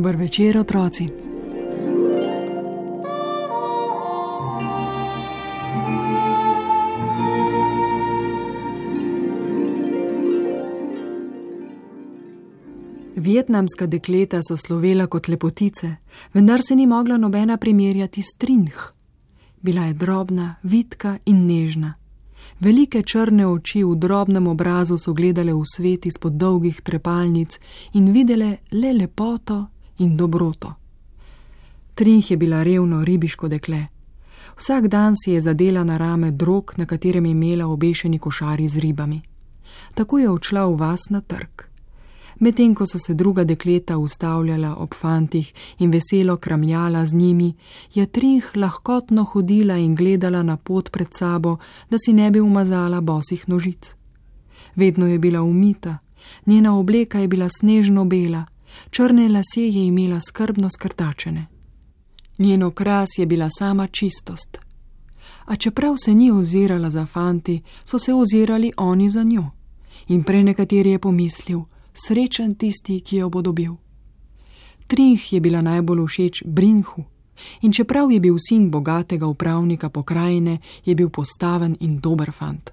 Dober večer, otroci. Vietnamska dekleta so slovela kot lepotice, vendar se ni mogla nobena primerjati s Trinh. Bila je drobna, vitka in nežna. Velike črne oči v drobnem obrazu so gledale v svet izpod dolgih trepalnic in videle le lepoto in dobroto. Trinh je bila revno ribiško dekle. Vsak dan si je zadela na rame drog, na katerem je imela obešeni košari z ribami. Tako je odšla v vas na trg. Medtem ko so se druga dekleta ustavljala ob fantih in veselo kramljala z njimi, je Trinh lahkotno hodila in gledala na pot pred sabo, da si ne bi umazala bosih nožic. Vedno je bila umita, njena obleka je bila snežno bela, črne lase je imela skrbno skrtačene. Njen okras je bila sama čistost. A čeprav se ni ozirala za fanti, so se ozirali oni za njo. In prenekateri je pomislil, srečen tisti, ki jo bo dobil. Trinh je bila najbolj všeč Brinhu in čeprav je bil sin bogatega upravnika pokrajine, je bil postaven in dober fant.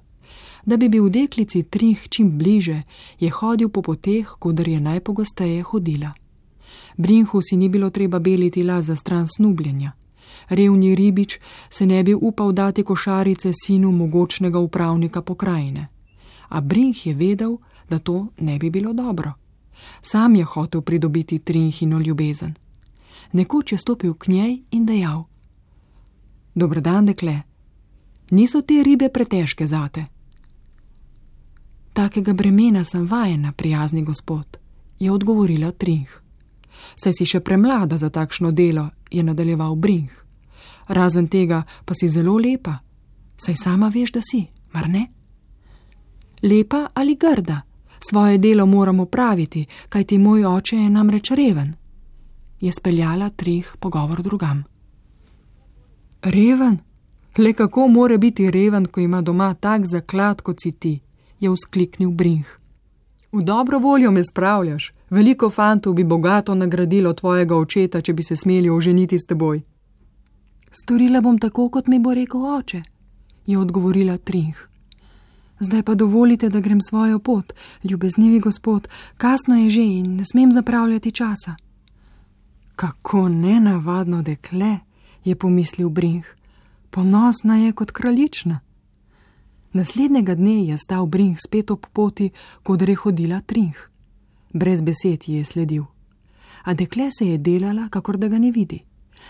Da bi bil deklici Trinh čim bliže, je hodil po poteh, koder je najpogosteje hodila. Brinhu si ni bilo treba beliti las za stran snubljenja. Revni ribič se ne bi upal dati košarice sinu mogočnega upravnika pokrajine. A Brinh je vedel, da to ne bi bilo dobro. Sam je hotel pridobiti Trinhino ljubezen. Nekoč je stopil k njej in dejal: Dober dan, dekle. Niso te ribe pretežke zate? Takega bremena sem vajena, prijazni gospod, je odgovorila Trinh. Saj si še premlada za takšno delo, je nadaljeval Brinh. Razen tega pa si zelo lepa. Saj sama veš, da si, mar ne? Lepa ali grda? Svoje delo moramo praviti, kajti moj oče je namreč reven. Je speljala Trinh pogovor drugam. Reven? Le kako more biti reven, ko ima doma tak zaklad, kot si ti, je vzkliknil Brinh. V dobro voljo me spravljaš. Veliko fantov bi bogato nagradilo tvojega očeta, če bi se smeli oženiti s teboj. Storila bom tako, kot mi bo rekel oče, je odgovorila Trinh. Zdaj pa dovolite, da grem svojo pot, ljubeznivi gospod, kasno je že in ne smem zapravljati časa. Kako nenavadno dekle, je pomislil Brinh. Ponosna je kot kraljična. Naslednjega dne je stal Brinh spet ob poti, kodr je hodila Trinh. Brez besed ji je sledil. A dekle se je delala, kakor da ga ne vidi.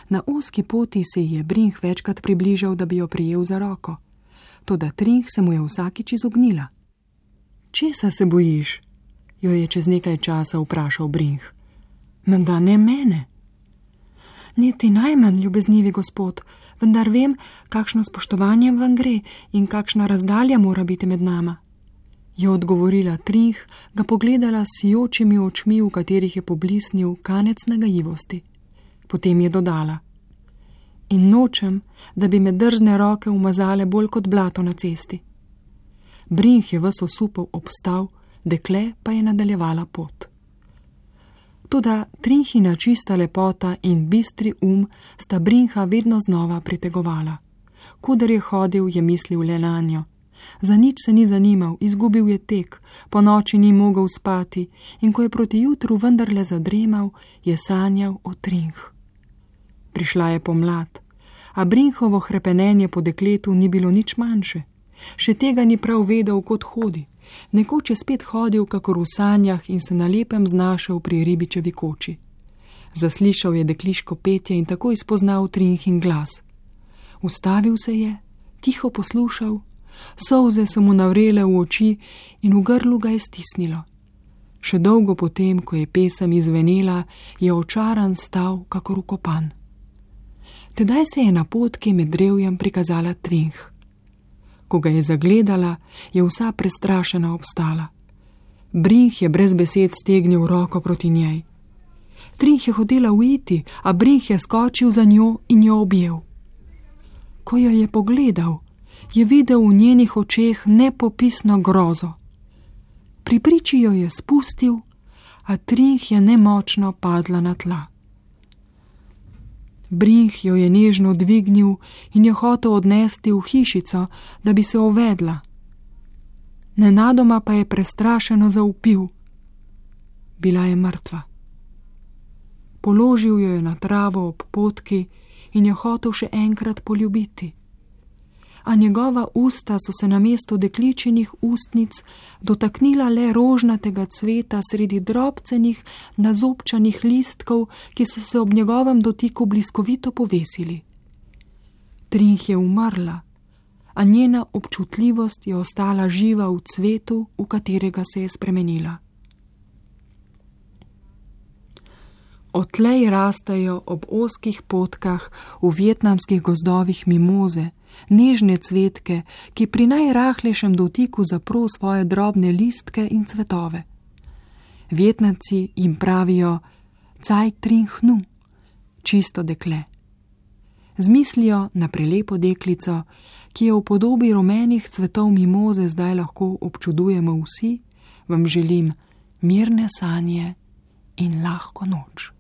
Na ozki poti se ji je Brinh večkrat približal, da bi jo prijel za roko. Toda Trinh se mu je vsakič izognila. Česa se bojiš? Jo je čez nekaj časa vprašal Brinh. Menda ne mene. Niti najmanj, ljubeznivi gospod, vendar vem, kakšno spoštovanje vam gre in kakšna razdalja mora biti med nama. Je odgovorila Trinh, ga pogledala s sijočimi očmi, v katerih je poblisnil kanec nagajivosti. Potem je dodala: In nočem, da bi me drzne roke umazale bolj kot blato na cesti. Brinh je ves osupel obstal, dekle pa je nadaljevala pot. Toda Trinhina čista lepota in bistri sta Brinha vedno znova pritegovala. Koder je hodil, je mislil le nanjo. Za nič se ni zanimal, izgubil je tek, po noči ni mogel spati in ko je proti jutru vendarle zadremal, je sanjal o Trinh. Prišla je pomlad, a Brinhovo hrepenenje po dekletu ni bilo nič manjše. Še tega ni prav vedel, kot hodi. Nekoč je spet hodil, kakor v sanjah, in se na lepem znašel pri ribičevi koči. Zaslišal je dekliško petje in takoj spoznal Trinhin glas. Ustavil se je, tiho poslušal, solze so mu navrele v oči in v grlu ga je stisnilo. Še dolgo potem, ko je pesem izvenela, je očaran stal, kakor vkopan. Tedaj se je na potki med drevjem prikazala Trinh. Ko ga je zagledala, je vsa prestrašena obstala. Brinh je brez besed stegnil roko proti njej. Trinh je hotela uiti, a Brinh je skočil za njo in jo objel. Ko jo je pogledal, je videl v njenih očeh nepopisno grozo. Pri priči jo je spustil, a Trinh je nemočno padla na tla. Brinh jo je nežno dvignil in jo hotel odnesti v hišico, da bi se ovedla. Nenadoma pa je prestrašeno zavpil. Bila je mrtva. Položil jo je na travo ob potki in jo hotel še enkrat poljubiti. A njegova usta so se namesto dekličinih ustnic dotaknila le rožnatega cveta sredi drobcenih, nazobčanih listkov, ki so se ob njegovem dotiku bliskovito povesili. Trinh je umrla, a njena občutljivost je ostala živa v cvetu, v katerega se je spremenila. Odtlej rastejo ob ozkih potkah v vietnamskih gozdovih mimoze, nežne cvetke, ki pri najrahlejšem dotiku zapro svoje drobne listke in cvetove. Vietnamci jim pravijo Caj Trinh Nu, čisto dekle. Z mislijo na prelepo deklico, ki je v podobi rumenih cvetov mimoze zdaj lahko občudujemo vsi, vam želim mirne sanje in lahko noč.